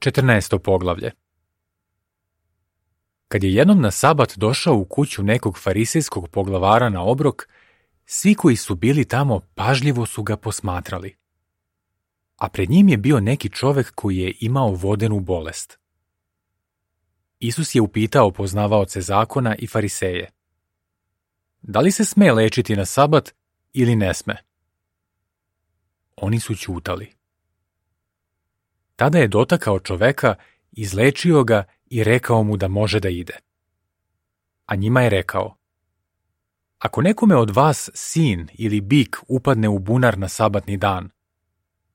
14. poglavlje. Kad je jednom na sabat došao u kuću nekog farisejskog poglavara na obrok, svi koji su bili tamo pažljivo su ga posmatrali. A pred njim je bio neki čovek koji je imao vodenu bolest. Isus je upitao poznavaoce zakona i fariseje: da li se sme lečiti na sabat ili ne sme? Oni su ćutali. Tada je dotakao čoveka, izlečio ga i rekao mu da može da ide. A njima je rekao: ako nekome od vas sin ili bik upadne u bunar na sabatni dan,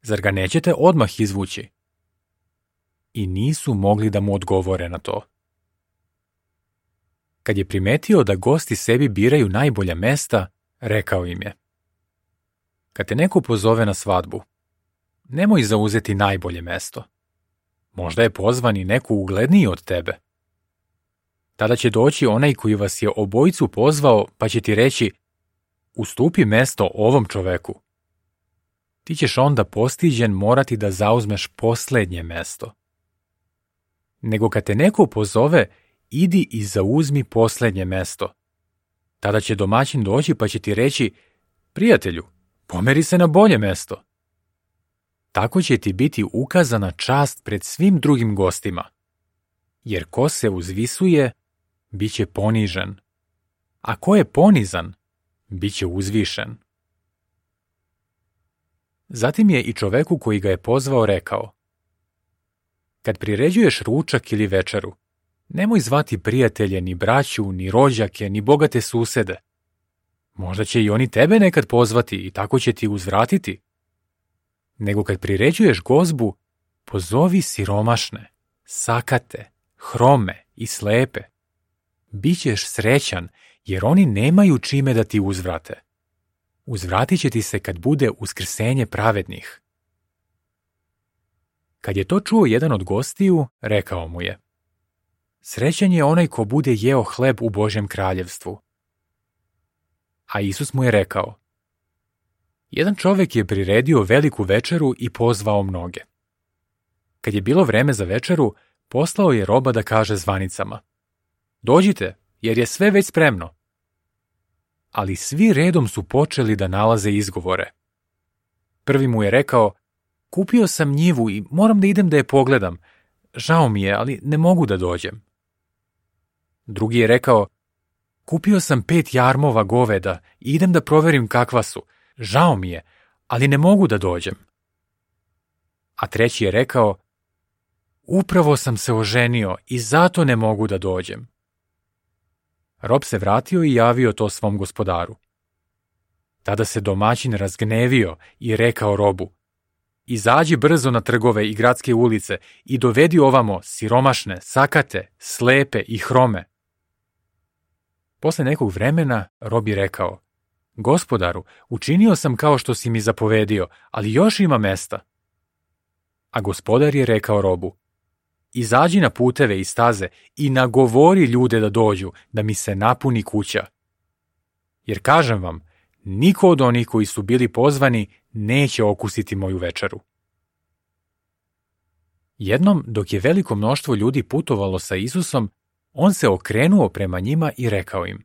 zar ga nećete odmah izvući? I nisu mogli da mu odgovore na to. Kad je primetio da gosti sebi biraju najbolja mesta, rekao im je: kad te neko pozove na svadbu, nemoj zauzeti najbolje mesto. Možda je pozvan i neko ugledniji od tebe. Tada će doći onaj koji vas je obojicu pozvao, pa će ti reći: ustupi mesto ovom čoveku. Ti ćeš onda postiđen morati da zauzmeš poslednje mesto. Nego kad te neko pozove, idi i zauzmi poslednje mesto. Tada će domaćin doći pa će ti reći: prijatelju, pomeri se na bolje mesto. Tako će ti biti ukazana čast pred svim drugim gostima. Jer ko se uzvisuje, bit će ponižen. A ko je ponizan, bit će uzvišen. Zatim je i čoveku koji ga je pozvao rekao: kad priređuješ ručak ili večeru, nemoj zvati prijatelje, ni braću, ni rođake, ni bogate susede. Možda će i oni tebe nekad pozvati i tako će ti uzvratiti. Nego kad priređuješ gozbu, pozovi siromašne, sakate, hrome i slepe. Bićeš srećan, jer oni nemaju čime da ti uzvrate. Uzvratit će ti se kad bude uskrsenje pravednih. Kad je to čuo jedan od gostiju, rekao mu je: srećan je onaj ko bude jeo hleb u Božjem kraljevstvu. A Isus mu je rekao: jedan čovek je priredio veliku večeru i pozvao mnoge. Kad je bilo vreme za večeru, poslao je roba da kaže zvanicama: dođite, jer je sve već spremno. Ali svi redom su počeli da nalaze izgovore. Prvi mu je rekao: kupio sam njivu i moram da idem da je pogledam. Žao mi je, ali ne mogu da dođem. Drugi je rekao: kupio sam 5 jarmova goveda i idem da proverim kakva su. Žao mi je, ali ne mogu da dođem. A treći je rekao: upravo sam se oženio i zato ne mogu da dođem. Rob se vratio i javio to svom gospodaru. Tada se domaćin razgnevio i rekao robu: izađi brzo na trgove i gradske ulice i dovedi ovamo siromašne, sakate, slepe i hrome. Posle nekog vremena rob je rekao: gospodaru, učinio sam kao što si mi zapovedio, ali još ima mesta. A gospodar je rekao robu: izađi na puteve i staze i nagovori ljude da dođu, da mi se napuni kuća. Jer kažem vam, niko od onih koji su bili pozvani neće okusiti moju večeru. Jednom, dok je veliko mnoštvo ljudi putovalo sa Isusom, on se okrenuo prema njima i rekao im: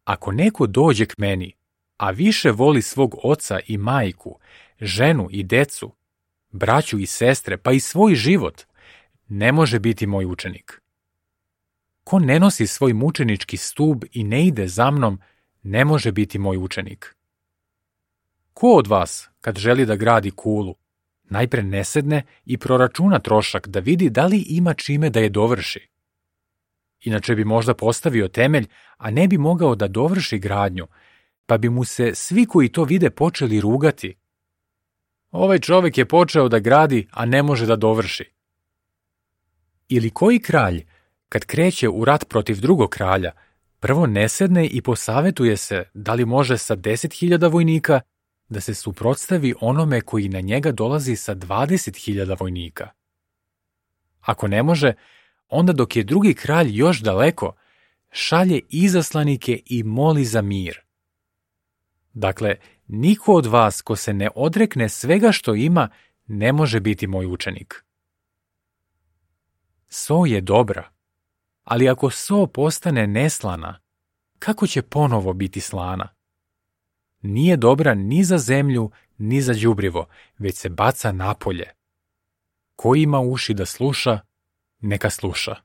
ako neko dođe k meni, a više voli svog oca i majku, ženu i decu, braću i sestre, pa i svoj život, ne može biti moj učenik. Ko ne nosi svoj mučenički stub i ne ide za mnom, ne može biti moj učenik. Ko od vas, kad želi da gradi kulu, najpre ne sedne i proračuna trošak da vidi da li ima čime da je dovrši? Inače bi možda postavio temelj, a ne bi mogao da dovrši gradnju, pa bi mu se svi koji to vide počeli rugati. Ovaj čovek je počeo da gradi, a ne može da dovrši. Ili koji kralj, kad kreće u rat protiv drugog kralja, prvo ne sedne i posavetuje se da li može sa 10.000 vojnika da se suprotstavi onome koji na njega dolazi sa 20.000 vojnika. Ako ne može, onda dok je drugi kralj još daleko, šalje izaslanike i moli za mir. Dakle, niko od vas ko se ne odrekne svega što ima, ne može biti moj učenik. So je dobra, ali ako so postane neslana, kako će ponovo biti slana? Nije dobra ni za zemlju, ni za đubrivo, već se baca napolje. Ko ima uši da sluša, neka sluša.